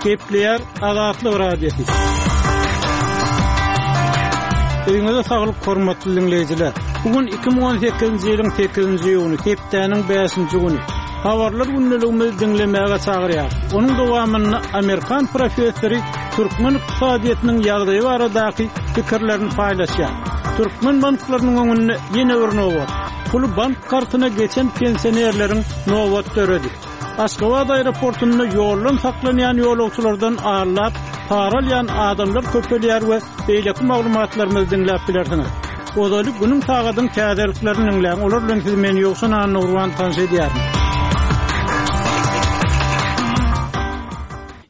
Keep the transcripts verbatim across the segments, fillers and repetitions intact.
Gepleýär Azatlyk Radiosy. Öýüňize saglyk hormatly dinleýjiler. Bugün iki müň on sekizinji ýylyň sekizinji iýuny, hepdäniň bäşinji güni. Habarlar gündeligimizi diňlemäge çagyrýar. Onuň dowamynda Amerikan professory türkmen ykdysadyýetiniň ýagdaýy baradaky pikirlerini paýlaşýar. Türkmen banklarynyň öňünde ýene bir nobat. Puly bank kartyna geçen pensionerleriň nobat döredi. Aşgabat aeroportunda ýoldan saklanýan ýolagçylardan allap, para alýan adamlar köpelýär we beýleki maglumatlarymyzy diňläp bilersiňiz. Ozaly günüň sagadyň täzeliklerini diňläň. Olar bilen siz men Ýowşan Annurwan tanyş edýärim.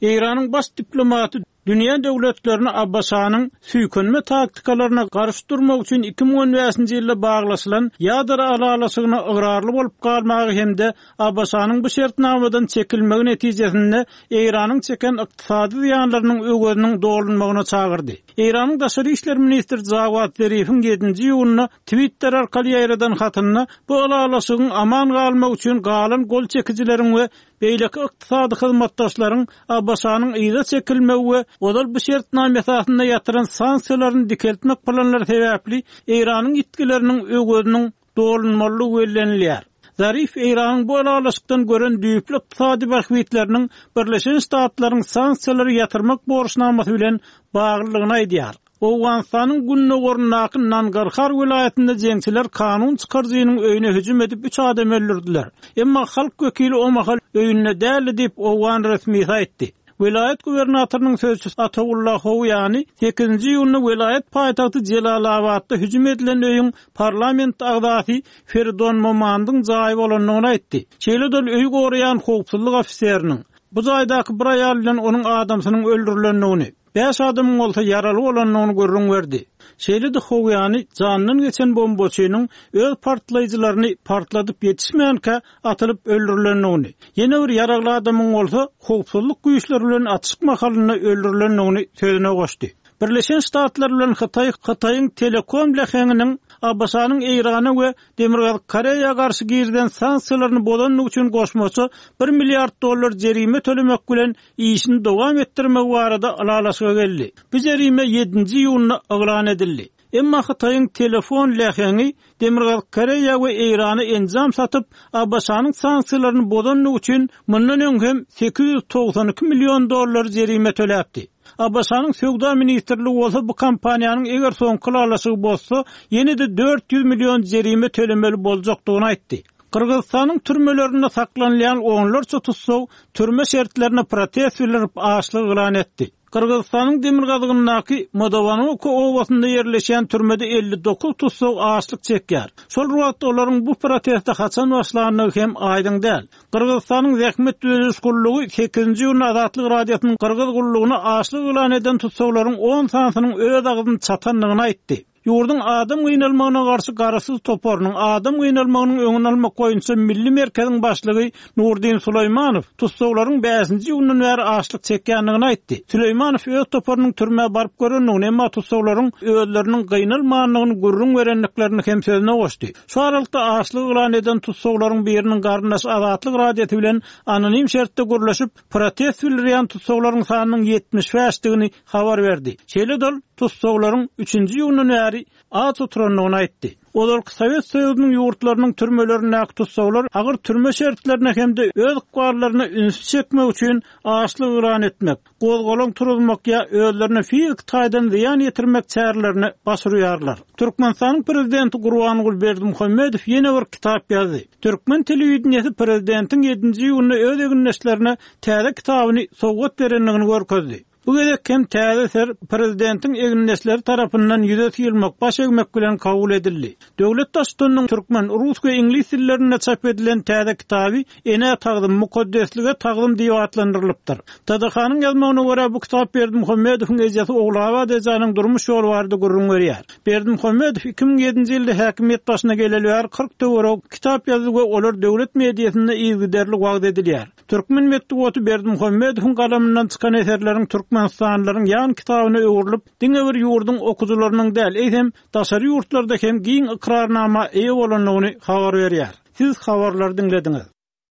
Eýranyň baş diplomaty dünýä döwletlerini A B Ş-nyň süýkenme taktikalaryna garşy durmak üçin iki müň on bäşinji ýylda baglaşylan ýadro ylalaşygyna ygrarly bolup galmagy hem-de A B Ş-nyň bu şertnamadan çekilmegi netijesinde Eýranyň çeken ykdysady zyýanlarynyň öweziniň dolunmagyna çagyrdy. Eýranyň daşary işler ministri Jawad Zarifiň ýedinji iýunda Twitter arkaly ýaýradan hatynda bu ylalaşygyň aman galmak üçin galan gol çekijileriň we beýleki ykdysady hyzmatdaşlaryň A B Ş-nyň yza çekilmegi we ozal bu şertnama esasynda ýatyran sanksiýalaryny dikeltmek planlary sebäpli Eýranyň ýitgileriniň öweziniň dolunmalydygy bellenilýär. Zarif Eýranyň bu ylalaşykdan gören düýpli ykdysady bähbitleriniň Birleşen Ştatlaryň sanksiýalary ýatyrmak borçnamasy bilen baglylygyny aýdýar. Owganystanyň gündogaryndaky Nangarhar welaýatynda jeňçiler kanun çykaryjynyň öýüne hüjüm edip üç adam öldürdüler. Emma halk wekili o mahal öýünde däldi diýip Owgan resmisi aýtdy. Welaýat gubernatorynyň sözçüsi Ataullah Howýany sekizinji iýunda welaýat paýtagty Jelalabatda hüjüm edilen öýüň parlament agzasy Feridon Momandyň jaýy bolandygyny aýtdy. Şeýle-de ol öýi goraýan howpsuzlyk ofiseriniň bu jaýdaky bir aýal bilen onuň adamsynyň öldürilendigini, bäş adamyň bolsa ýaraly bolandygyny gürrüň berdi. Şeýle-de Howýany jandan geçen bombaçynyň öz partlaýjylaryny partladyp ýetişmänkä atylyp öldürilendigini, ýene bir ýaragly adamyň bolsa howpsuzlyk güýçleri bilen atyşyk mahalynda öldürilendigini sözüne goşdy. Birleşen Ştatlar bilen Hytaý, Hytaýyň telekom leheňiniň A B Ş-nyň Eýrana we Demirgazyk Koreýa garşy girilen sanksiýalaryny bozandygy üçin goşmaça bir milliard dollar jerime tölemek bilen işini dowam etdirmek barada ylalaşyga geldi. Bu jerime ýedinji iýunda yglan edildi. Emma Hytaýyň telefon leheňi Demirgazyk Koreýa we Eýrana enjam satyp, A B Ş-nyň sanksiýalaryny bozandygy üçin mundan öň hem sekiz ýüz togsan iki million dollar jerime töläpdi. A B Ş-nyň söwda ministrligi bolsa bu kompaniýanyň eger soňky ylalaşygy bozsa, ýene-de dört ýüz million jerime tölemeli boljakdygyny aýtdy. Gyrgyzystanyň türmelerinde saklanylýan onlarça tussag türme şertlerine protest bildirip açlyk yglan etdi. Gyrgyzystanyň demirgazygyndaky Modowanoko obasynda ýerleşen türmede elli dokuz tussag açlyk çekýär. Şol wagtda olaryň bu proteste haçan başlandygy hem aýdyň däl. Gyrgyzystanyň Zähmet Düzediş Gullugy sekizinji iýunda Azatlyk Radiosynyň Gyrgyz gullugyna açlyk yglan eden tussaglaryň on sanysynyň öz agzyny çatandygyny aýtdy. Ýurduň adam gynalmagyna garşy garaşsyz toparynyň adam gynalmagynyň öňüni almak boýunça Milli Merkeziň başlygy Nurdin Süleýmanow tussaglaryň bäşinji iýundan bäri açlyk çekýändigini aýtdy. Süleýmanow öz toparynyň türmä baryp görendigini, emma tussaglaryň özleriniň gynalmandygyny gürrüň berendiklerini hem sözüne goşdy. Şu aralykda açlyk yglan eden tussaglaryň biriniň garyndaşy Azatlyk Radiosy bilen anonim şertde gürleşip, protest bildirýän tussaglaryň sanynyň ýetmiş bäşdigini habar berdi. Şeýle-de ol tussaglaryň üçünji iýundan bäri aç oturandygyny aýtdy. Ozalky Sowet Soýuzynyň ýurtlarynyň türmelerindäki tussaglar agyr türme şertlerine hem-de öz ykballaryna üns çekmek üçin açlyk yglan etmek, gozgalaň turuzmak ýa özlerine fizik taýdan zyýan ýetirmek çärelerini başarýarlar. Türkmenistanyň prezidenti Gurbanguly Berdimuhamedow ýene bir kitap ýazdy. Türkmen telewideniýesi prezidentiň ýedinji iýunda öz egindeşlerine täze kitabyny sowgat berendigini görkezdi. Bu gezek hem täze eser prezidentiň egindeşleri tarapyndan ýüze syýylmak, baş egmek bilen kabul edildi. Döwlet Baştutanynyň türkmen, rus we iňlis dillerinde çap edilen täze kitaby Ene tagzym, mukaddeslige tagzym diýip atlandyrylypdyr. T D H-nyň ýazmagyna görä bu kitap Berdimuhamedowyň ejesi Ogulabat ejäniň durmuş ýoly barada gürrüň berýär. Berdimuhamedow iki müň ýedinji ýylda häkimiýet başyna geleli bäri kyrk töweregi kitap ýazdy we olar döwlet mediasynda yzygiderli wagyz edilýär. Türkmen metbugaty Berdimuhamedowyň galamyndan çykan eserleriň Türkmenistanlylaryň ýan kitabyna öwrülip, diňe bir ýurduň okujylarynyň däl, eýsem daşary ýurtlarda hem giň ykrarnama eýe bolandygyny habar berýär. Siz habarlary diňlediňiz.